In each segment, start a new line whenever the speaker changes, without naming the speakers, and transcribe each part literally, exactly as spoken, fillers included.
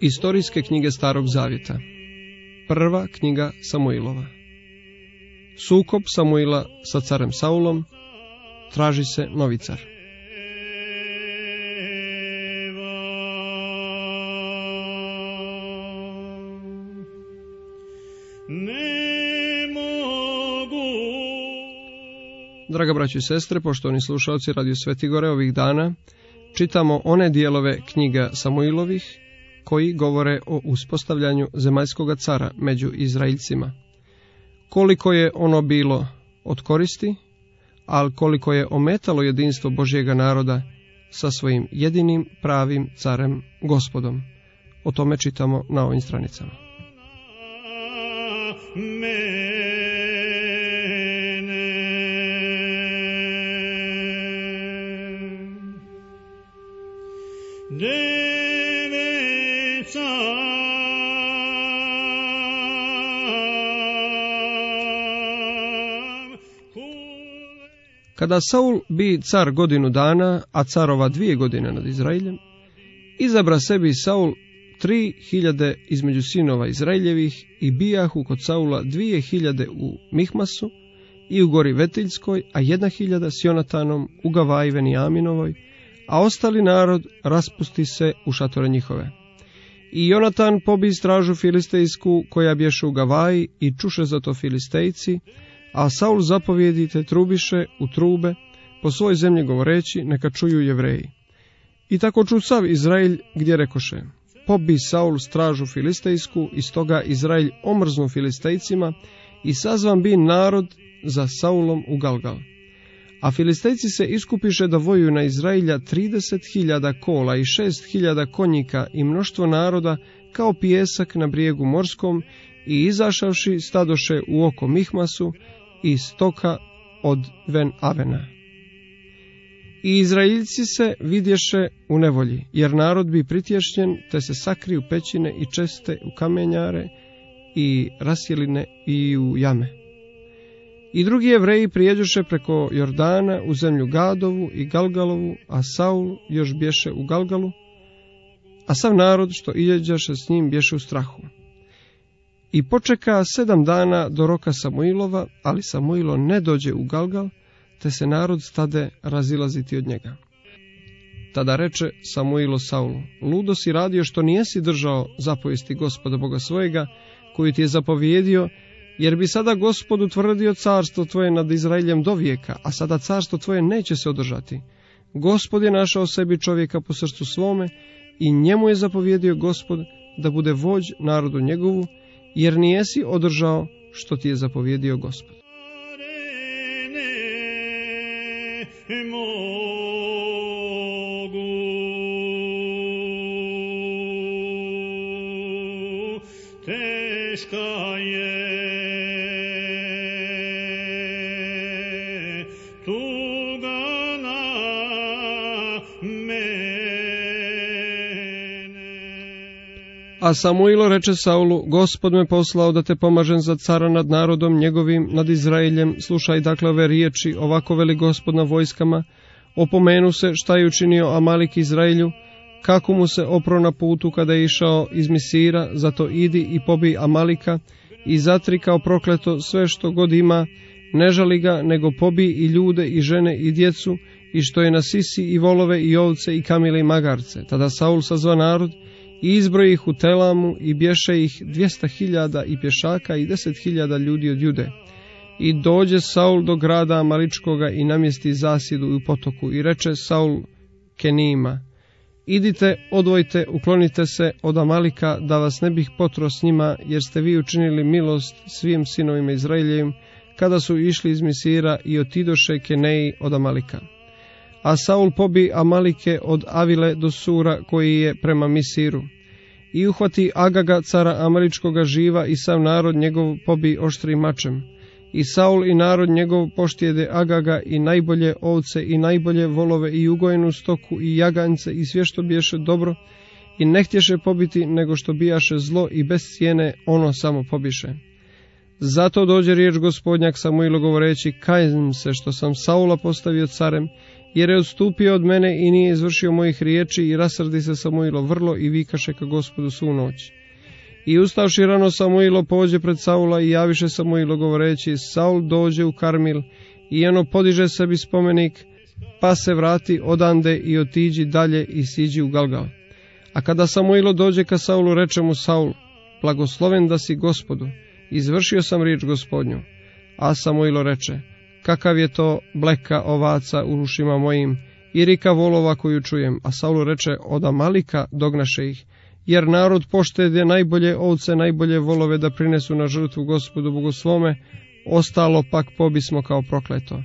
Istorijske knjige Starog Zavjeta. Prva knjiga Samuilova. Sukob Samuila sa carem Saulom. Traži se novi car. Draga braćo i sestre, poštovani slušalci Radio Svetigore, ovih dana čitamo one dijelove knjiga Samuilovih koji govore o uspostavljanju zemaljskoga cara među Izraeljcima. Koliko je ono bilo od koristi, ali koliko je ometalo jedinstvo Božjega naroda sa svojim jedinim pravim carem Gospodom. O tome čitamo na ovim stranicama. Kada Saul bi car godinu dana, a carova dvije godine nad Izraeljem, izabra sebi Saul tri hiljade između sinova Izraeljevih i bijahu kod Saula dvije hiljade u Mihmasu i u gori Vetiljskoj, a jedna hiljada s Jonatanom u Gavaji Venijaminovoj, a ostali narod raspusti se u šatore njihove. I Jonatan pobi stražu filistejsku koja bješe u Gavaji i čuše za to filistejci, a Saul zapovjedite trubiše u trube po svoj zemlji govoreći, neka čuju Jevreji. I tako ču sav Izraelj gdje rekoše, pobi Saul stražu filistejsku, i stoga Izraelj omrznu filistejcima i sazvan bi narod za Saulom u Galgal. A filistejci se iskupiše da vojuju na Izraelja trideset hiljada kola i šest hiljada konjika i mnoštvo naroda kao pijesak na brijegu morskom, i izašavši stadoše u oko Mihmasu i stoka od Ven Avena. I Izraeljci se vidješe u nevolji, jer narod bi pritješnjen, te se sakri u pećine i česte u kamenjare i rasjeline i u jame. I drugi Jevreji prijeđoše preko Jordana u zemlju Gadovu i Galgalovu, a Saul još bješe u Galgalu, a sav narod što iđeše s njim bješe u strahu. I počeka sedam dana do roka Samuilova, ali Samuilo ne dođe u Galgal, te se narod stade razilaziti od njega. Tada reče Samuilo Saulu, ludo si radio što nijesi držao zapovijesti Gospoda Boga svojega, koju ti je zapovjedio, jer bi sada Gospod utvrdio carstvo tvoje nad Izraeljem do vijeka, a sada carstvo tvoje neće se održati. Gospod je našao sebi čovjeka po srcu svome i njemu je zapovjedio Gospod da bude vođ narodu njegovu, jer nijesi održao što ti je zapovjedio Gospod.
Teška je tuga na mene.
A Samuilo reče Saulu, Gospod me poslao da te pomažem za cara nad narodom njegovim, nad Izraeljem. Slušaj dakle ove riječi, ovako veli Gospod na vojskama, opomenu se šta je učinio Amalik Izraelju, kako mu se opro na putu kada je išao iz Misira, zato idi i pobij Amalika i zatri kao prokleto sve što god ima, ne žali ga, nego pobij i ljude i žene i djecu, i što je na sisi i volove i ovce i kamile i magarce. Tada Saul sazva narod i izbroji ih u Telamu i bješe ih dvjesto hiljada i pješaka i deset hiljada ljudi od Jude. I dođe Saul do grada Amaličkoga i namjesti zasjedu u potoku i reče Saul Kenijima, idite, odvojite, uklonite se od Amalika, da vas ne bih potro s njima, jer ste vi učinili milost svim sinovima Izraeljevim, kada su išli iz Misira i otidoše Keneji od Amalika. A Saul pobi Amalike od Avile do Sura, koji je prema Misiru. I uhvati Agaga, cara Amaličkoga živa, i sav narod njegov pobi oštrim mačem. I Saul i narod njegov poštijede Agaga i najbolje ovce i najbolje volove i ugojenu stoku i jaganjce i sve što biješe dobro, i ne htješe pobiti, nego što bijaše zlo i bez cijene ono samo pobiše. Zato dođe riječ Gospodnjak Samuilu govoreći, kajem se što sam Saula postavio carem, jer je odstupio od mene i nije izvršio mojih riječi, i rasrdi se Samuilo vrlo i vikaše ka Gospodu svu noć. I ustavši rano Samuilo pođe pred Saula i javiše Samuilo govoreći: Saul dođe u Karmil, i ono podiže sebi spomenik, pa se vrati odande i otiđi dalje i siđi u Galgal. A kada Samuilo dođe ka Saulu, reče mu Saul: blagosloven da si Gospodu, izvršio sam riječ Gospodnju. A Samuilo reče: kakav je to bleka ovaca u ušima mojim i rika volova koju čujem. A Saul reče: od Amalika dognaše ih, jer narod poštede najbolje ovce, najbolje volove da prinesu na žrtvu Gospodu Bogu svome, ostalo pak pobismo kao prokleto.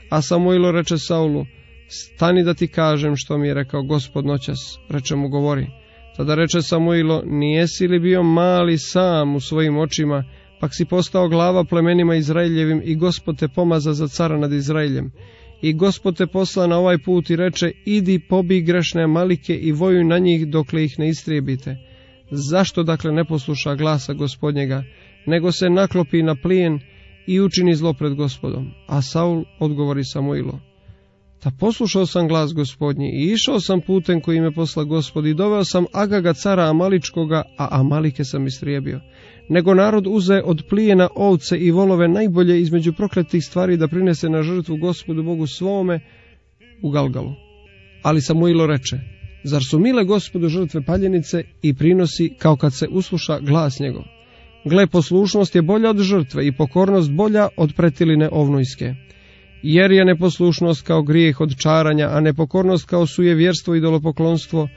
A Samuilo reče Saulu: stani da ti kažem što mi je rekao Gospod noćas. Reče mu: govori. Tada reče Samuilo: nijesi li bio mali sam u svojim očima, pak si postao glava plemenima Izraeljevim, i Gospod te pomaza za cara nad Izraeljem. I Gospod te posla na ovaj put i reče: idi pobij grešne Amalike i vojuj na njih dokle ih ne istrijebite. Zašto dakle ne posluša glasa Gospodnjega, nego se naklopi na plijen i učini zlo pred Gospodom? A Saul odgovori Samuilo: da poslušao sam glas Gospodnji i išao sam putem koji me posla Gospod i doveo sam Agaga cara Amaličkoga, a Amalike sam istrijebio. Nego narod uze od plijena ovce i volove najbolje između prokletih stvari da prinese na žrtvu Gospodu Bogu svome u Galgalu. Ali Samuilo reče: zar su mile Gospodu žrtve paljenice i prinosi, kao kad se usluša glas njegov? Gle, poslušnost je bolja od žrtve i pokornost bolja od pretiline ovnujske. Jer je neposlušnost kao grijeh od čaranja, a nepokornost kao sujevjerstvo i idolopoklonstvo.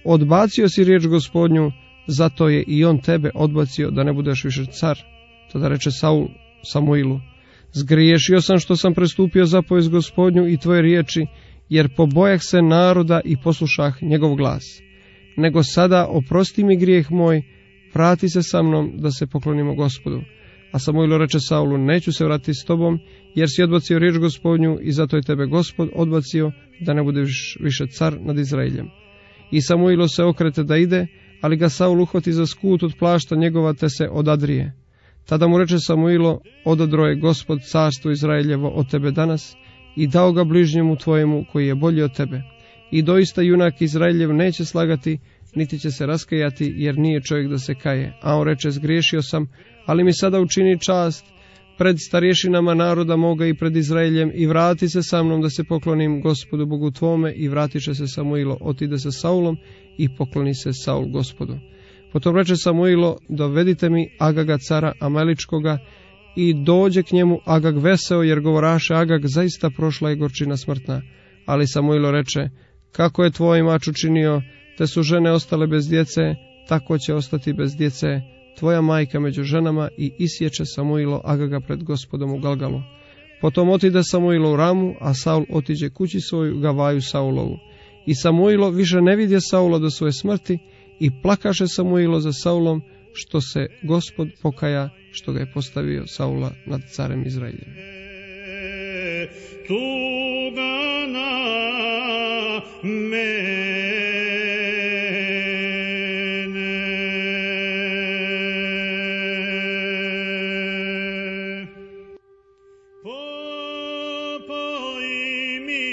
Odbacio si riječ Gospodnju, zato je i on tebe odbacio da ne budeš više car. Tada reče Saul Samuilu: zgriješio sam što sam prestupio zapovest Gospodnju i tvoje riječi, jer pobojah se naroda i poslušah njegov glas. Nego sada oprosti mi grijeh moj, vrati se sa mnom da se poklonimo Gospodu. A Samuilo reče Saulu: neću se vratiti s tobom, jer si odbacio riječ Gospodnju, i zato je tebe Gospod odbacio da ne budeš više car nad Izraeljem. I Samuilo se okrete da ide, ali ga Saul uhvati za skut od plašta njegova, te se odadrije. Tada mu reče Samuilo: odadro je Gospod carstvo Izraeljevo od tebe danas i dao ga bližnjemu tvojemu koji je bolji od tebe. I doista junak Izraeljev neće slagati, niti će se raskajati, jer nije čovjek da se kaje. A on reče: zgriješio sam, ali mi sada učini čast pred starješinama naroda moga i pred Izraeljem, i vrati se sa mnom da se poklonim Gospodu Bogu tvome. I vratit će se Samuilo, otide se Saulom i pokloni se Saul Gospodu. Potom reče Samuilo: dovedite mi Agaga cara Amaličkoga. I dođe k njemu Agag veseo, jer govoraše Agag: zaista prošla je gorčina smrtna. Ali Samuilo reče: kako je tvoj mač učinio, te su žene ostale bez djece, tako će ostati bez djece tvoja majka među ženama. I isječe Samuilo Agaga pred Gospodom u Galgalu. Potom otide Samuilo u Ramu, a Saul otiđe kući svoju Gavaju Saulovu. I Samuilo više ne vidje Saula do svoje smrti, i plakaše Samuilo za Saulom, što se Gospod pokaja što ga je postavio Saula nad carem Izraeljem.
Tuga na mene. Popoj mi.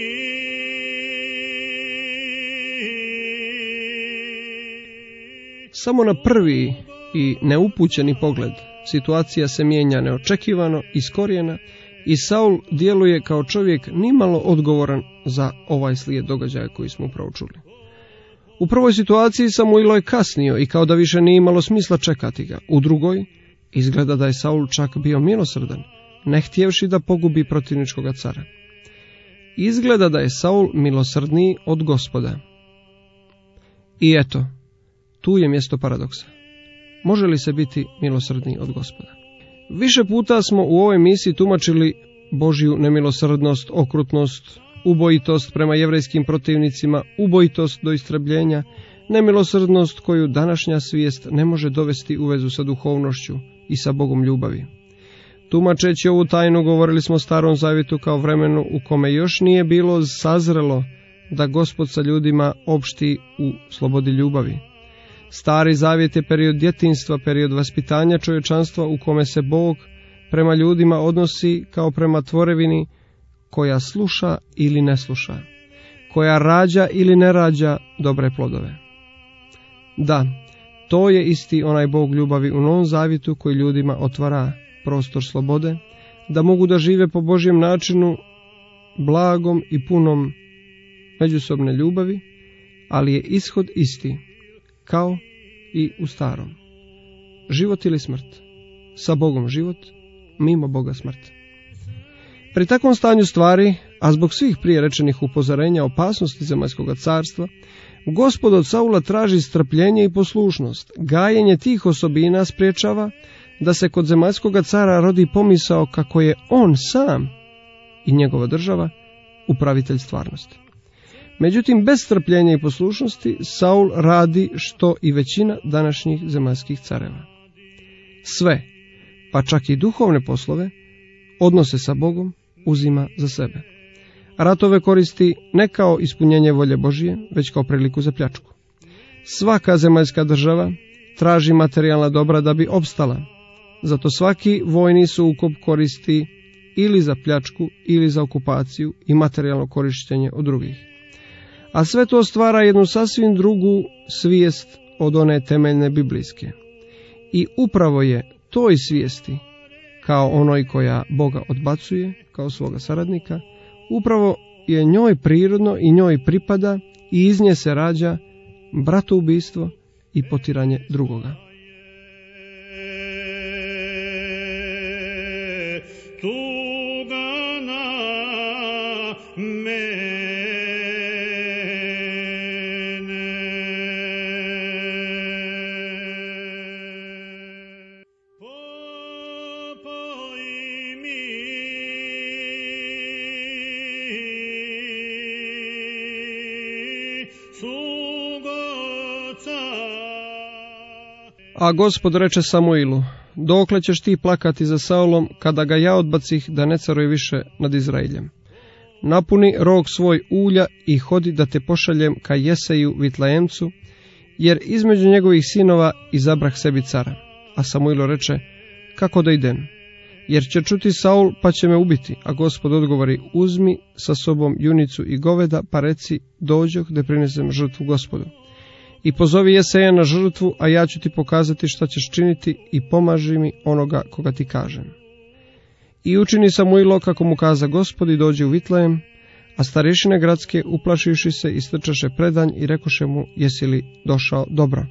Samo na prvi i neupućeni pogled situacija se mijenja neočekivano iz korijena, i Saul djeluje kao čovjek nimalo odgovoran za ovaj slijed događaja koji smo upravo čuli. U prvoj situaciji Samuilo je kasnio i kao da više nije imalo smisla čekati ga. U drugoj izgleda da je Saul čak bio milosrdan, ne htjevši da pogubi protivničkoga cara. Izgleda da je Saul milosrdniji od Gospoda. I eto, tu je mjesto paradoksa. Može li se biti milosrdniji od Gospoda? Više puta smo u ovoj misiji tumačili Božju nemilosrdnost, okrutnost, ubojitost prema jevrejskim protivnicima, ubojitost do istrebljenja, nemilosrdnost koju današnja svijest ne može dovesti u vezu sa duhovnošću i sa Bogom ljubavi. Tumačeći ovu tajnu govorili smo o Starom zavjetu kao vremenu u kome još nije bilo sazrelo da Gospod sa ljudima opšti u slobodi ljubavi. Stari zavjet je period djetinjstva, period vaspitanja čovječanstva u kome se Bog prema ljudima odnosi kao prema tvorevini koja sluša ili ne sluša. koja rađa ili ne rađa dobre plodove. Da, to je isti onaj Bog ljubavi u Novom Zavjetu koji ljudima otvara prostor slobode, da mogu da žive po Božjem načinu, blagom i punom međusobne ljubavi, ali je ishod isti, kao i u starom. Život ili smrt, sa Bogom život, mimo Boga smrt. Pri takvom stanju stvari, a zbog svih prije rečenih upozorenja opasnosti zemaljskog carstva, Gospod od Saula traži strpljenje i poslušnost. Gajenje tih osobina spriječava da se kod zemaljskog cara rodi pomisao kako je on sam i njegova država upravitelj stvarnosti. Međutim, bez strpljenja i poslušnosti Saul radi što i većina današnjih zemaljskih careva. Sve, pa čak i duhovne poslove, odnose sa Bogom uzima za sebe. Ratove koristi ne kao ispunjenje volje Božije, već kao priliku za pljačku. Svaka zemaljska država traži materijalna dobra da bi opstala, zato svaki vojni sukob koristi ili za pljačku ili za okupaciju i materijalno korištenje od drugih. A sve to stvara jednu sasvim drugu svijest od one temeljne biblijske. I upravo je toj svijesti, kao onoj koja Boga odbacuje kao svoga saradnika, upravo je njoj prirodno i njoj pripada i iz nje se rađa bratoubistvo i potiranje drugoga. A Gospod reče Samuilu, dokle ćeš ti plakati za Saulom, kada ga ja odbacih da ne caruje više nad Izraeljem? Napuni rog svoj ulja i hodi da te pošaljem ka Jeseju Vitlejemcu, jer između njegovih sinova izabrah sebi cara. A Samuilo reče, kako da idem? Jer će čuti Saul pa će me ubiti. A Gospod odgovori, uzmi sa sobom junicu i goveda, pa reci, dođoh da prinesem žrtvu Gospodu. I pozovi Jeseja na žrtvu, a ja ću ti pokazati šta ćeš činiti i pomaži mi onoga koga ti kažem. I učini Samuilo kako mu kaza Gospod i dođe u Vitlejem, a starješine gradske uplašivši se istrčaše predanj i rekoše mu, jesi li došao dobro?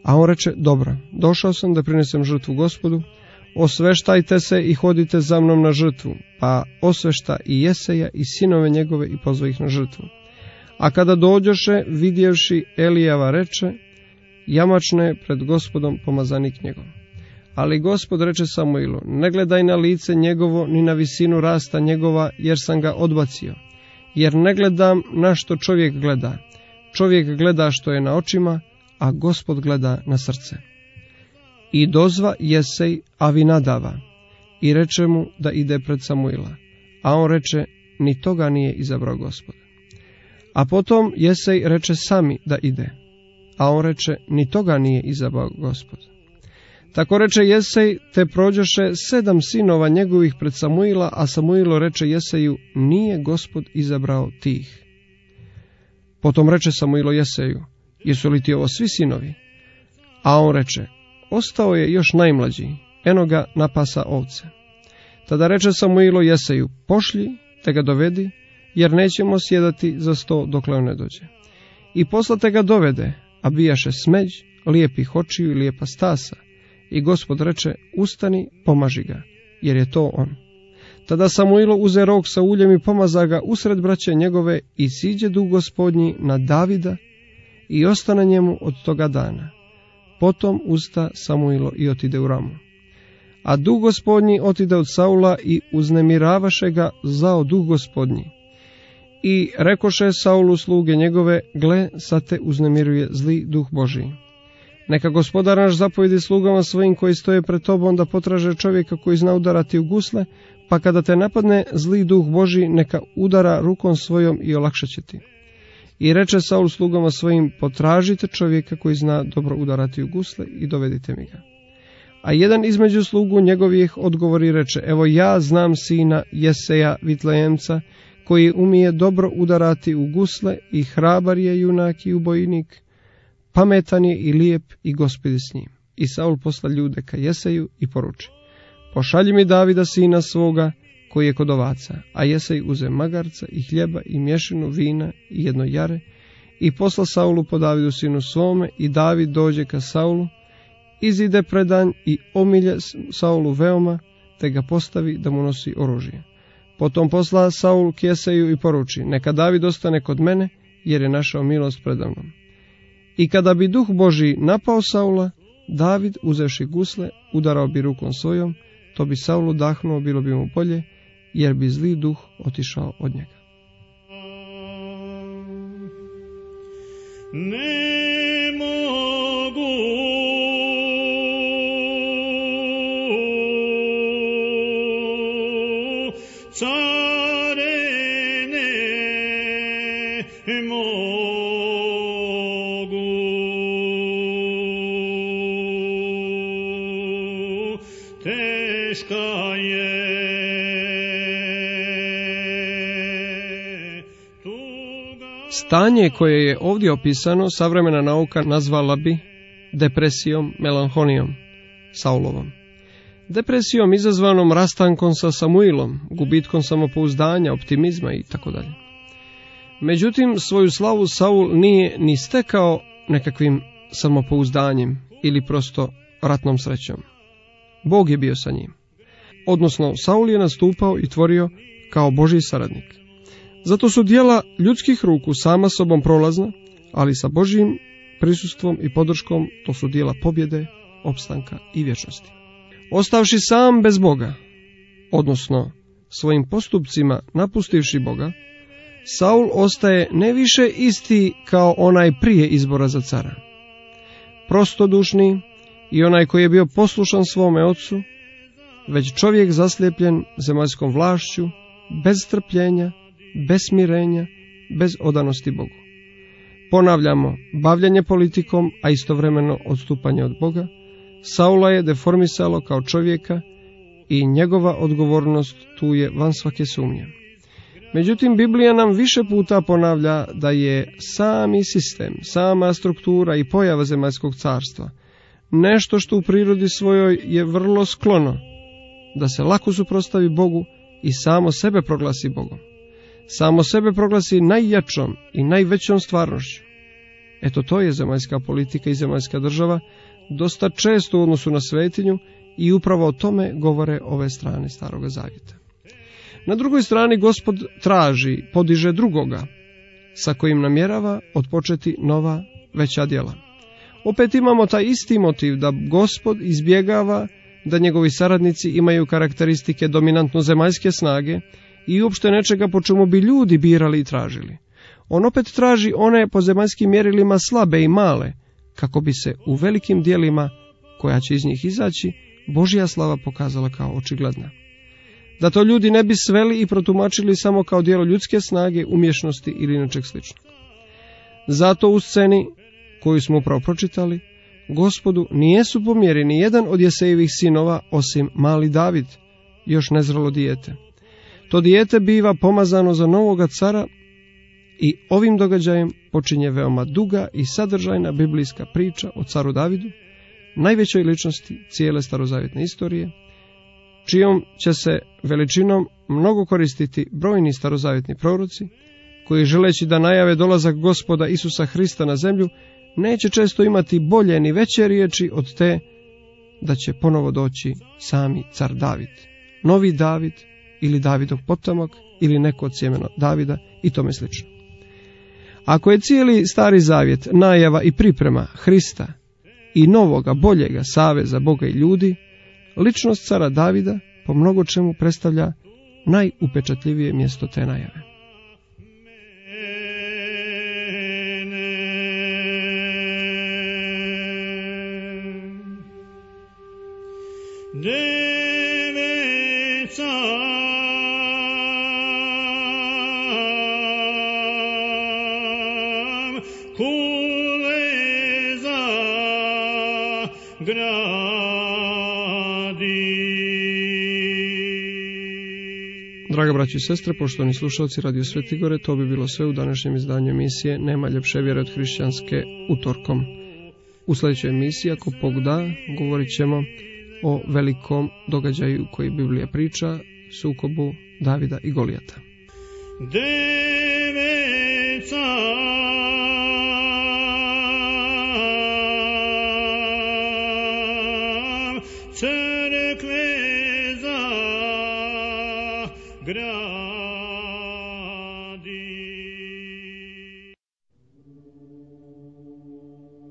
A on reče, dobro, došao sam da prinesem žrtvu Gospodu, osveštajte se i hodite za mnom na žrtvu, pa osvešta i Jeseja i sinove njegove i pozva ih na žrtvu. A kada dođoše, vidjevši Elijava reče, jamačno je pred Gospodom pomazanik njegov. Ali Gospod reče Samuilu, ne gledaj na lice njegovo, ni na visinu rasta njegova, jer sam ga odbacio. Jer ne gledam na što čovjek gleda. Čovjek gleda što je na očima, a Gospod gleda na srce. I dozva Jesej Avinadava i reče mu da ide pred Samuila. A on reče, ni toga nije izabrao Gospod. A potom Jesej reče sami da ide, a on reče, ni toga nije izabrao Gospod. Tako reče Jesej, te prođoše sedam sinova njegovih pred Samuila, a Samuilo reče Jeseju, nije Gospod izabrao tih. Potom reče Samuilo Jeseju, jesu li ti ovo svi sinovi? A on reče, ostao je još najmlađi, eno ga napasa ovce. Tada reče Samuilo Jeseju, pošlji te ga dovedi, jer nećemo sjedati za sto dokle on ne dođe. I poslate ga dovede, a bijaše smeđ, lijepih očiju i lijepa stasa. I Gospod reče, ustani, pomaži ga, jer je to on. Tada Samuilo uze rog sa uljem i pomaza ga usred braće njegove i siđe duh Gospodnji na Davida i ostane njemu od toga dana. Potom usta Samuilo i otide u Ramu. A duh Gospodnji otide od Saula i uznemiravaše ga zao duh Gospodnji. I rekoše Saulu sluge njegove, gle, sad te uznemiruje zli duh Božiji. Neka Gospodar naš zapovjedi slugama svojim koji stoje pred tobom da potraže čovjeka koji zna udarati u gusle, pa kada te napadne zli duh Božji, neka udara rukom svojom i olakšat će ti. I reče Saul slugama svojim, potražite čovjeka koji zna dobro udarati u gusle i dovedite mi ga. A jedan između slugu njegovih odgovori reče, evo ja znam sina Jeseja Vitlejemca, koji umije dobro udarati u gusle i hrabar je junak i ubojnik, pametan je i lijep i Gospodi s njim. I Saul posla ljude ka Jeseju i poruči: pošalji mi Davida sina svoga koji je kod ovaca. A Jesej uze magarca i hljeba i mješinu vina i jedno jare i posla Saulu po Davidu sinu svome, i David dođe ka Saulu, izide predanj i omilje Saulu veoma, te ga postavi da mu nosi oružje. Potom posla Saul k Jeseju i poruči: neka David ostane kod mene, jer je našao milost predamnom. I kada bi duh Božji napao Saula, David, uzevši gusle, udarao bi rukom svojom, to bi Saulu dahnuo, bilo bi mu bolje, jer bi zli duh otišao od njega.
Ne mogu care, ne mogu teška je tuga.
Stanje koje je ovdje opisano savremena nauka nazvala bi depresijom, melanholijom Saulovom. Depresijom izazvanom rastankom sa Samuilom, gubitkom samopouzdanja, optimizma i tako dalje. Međutim, svoju slavu Saul nije ni stekao nekakvim samopouzdanjem ili prosto ratnom srećom. Bog je bio sa njim. Odnosno, Saul je nastupao i tvorio kao Božji saradnik. Zato su djela ljudskih ruku sama sobom prolazna, ali sa Božjim prisustvom i podrškom to su djela pobjede, opstanka i vječnosti. Ostavši sam bez Boga, odnosno svojim postupcima napustivši Boga, Saul ostaje ne više isti kao onaj prije izbora za cara. Prostodušni i onaj koji je bio poslušan svome ocu, već čovjek zaslijepljen zemaljskom vlašću, bez strpljenja, bez smirenja, bez odanosti Bogu. Ponavljamo, bavljanje politikom, a istovremeno odstupanje od Boga, Saula je deformisalo kao čovjeka i njegova odgovornost tu je van svake sumnje. Međutim, Biblija nam više puta ponavlja da je sami sistem, sama struktura i pojava zemaljskog carstva nešto što u prirodi svojoj je vrlo sklono da se lako suprotstavi Bogu i samo sebe proglasi Bogom. Samo sebe proglasi najjačom i najvećom stvarnošću. Eto, to je zemaljska politika i zemaljska država, dosta često u odnosu na svetinju, i upravo o tome govore ove strane Staroga Zavjeta. Na drugoj strani Gospod traži, podiže drugoga, sa kojim namjerava otpočeti nova, veća djela. Opet imamo taj isti motiv da Gospod izbjegava da njegovi saradnici imaju karakteristike dominantno zemaljske snage i uopšte nečega po čemu bi ljudi birali i tražili. On opet traži one po zemaljskim mjerilima slabe i male, kako bi se u velikim djelima, koja će iz njih izaći, Božja slava pokazala kao očigledna. Da to ljudi ne bi sveli i protumačili samo kao djelo ljudske snage, umješnosti ili nečeg sličnog. Zato u sceni koju smo upravo pročitali, Gospodu nijesu po mjeri ni jedan od Jesejevih sinova osim mali David, još nezrelo dijete. To dijete biva pomazano za novoga cara i ovim događajem počinje veoma duga i sadržajna biblijska priča o caru Davidu, najvećoj ličnosti cijele starozavjetne istorije, čijom će se veličinom mnogo koristiti brojni starozavjetni proroci, koji želeći da najave dolazak Gospoda Isusa Hrista na zemlju, neće često imati bolje ni veće riječi od te da će ponovo doći sami car David, novi David ili Davidov potomak ili neko od sjemena Davida i tome slično. Ako je cijeli Stari Zavjet najava i priprema Hrista i novoga, boljega saveza Boga i ljudi, ličnost cara Davida po mnogo čemu predstavlja najupečatljivije mjesto te najave.
Deveca kuleza gradi.
Draga braći i sestre, poštovani slušalci Radio Svetigore, to bi bilo sve u današnjem izdanju emisije Nema ljepše vjere od hrišćanske utorkom. U sljedećoj emisiji, ako Bog da, govorit ćemo o velikom događaju koji Biblija priča, sukobu Davida i Golijata.
Deveca crkve za grad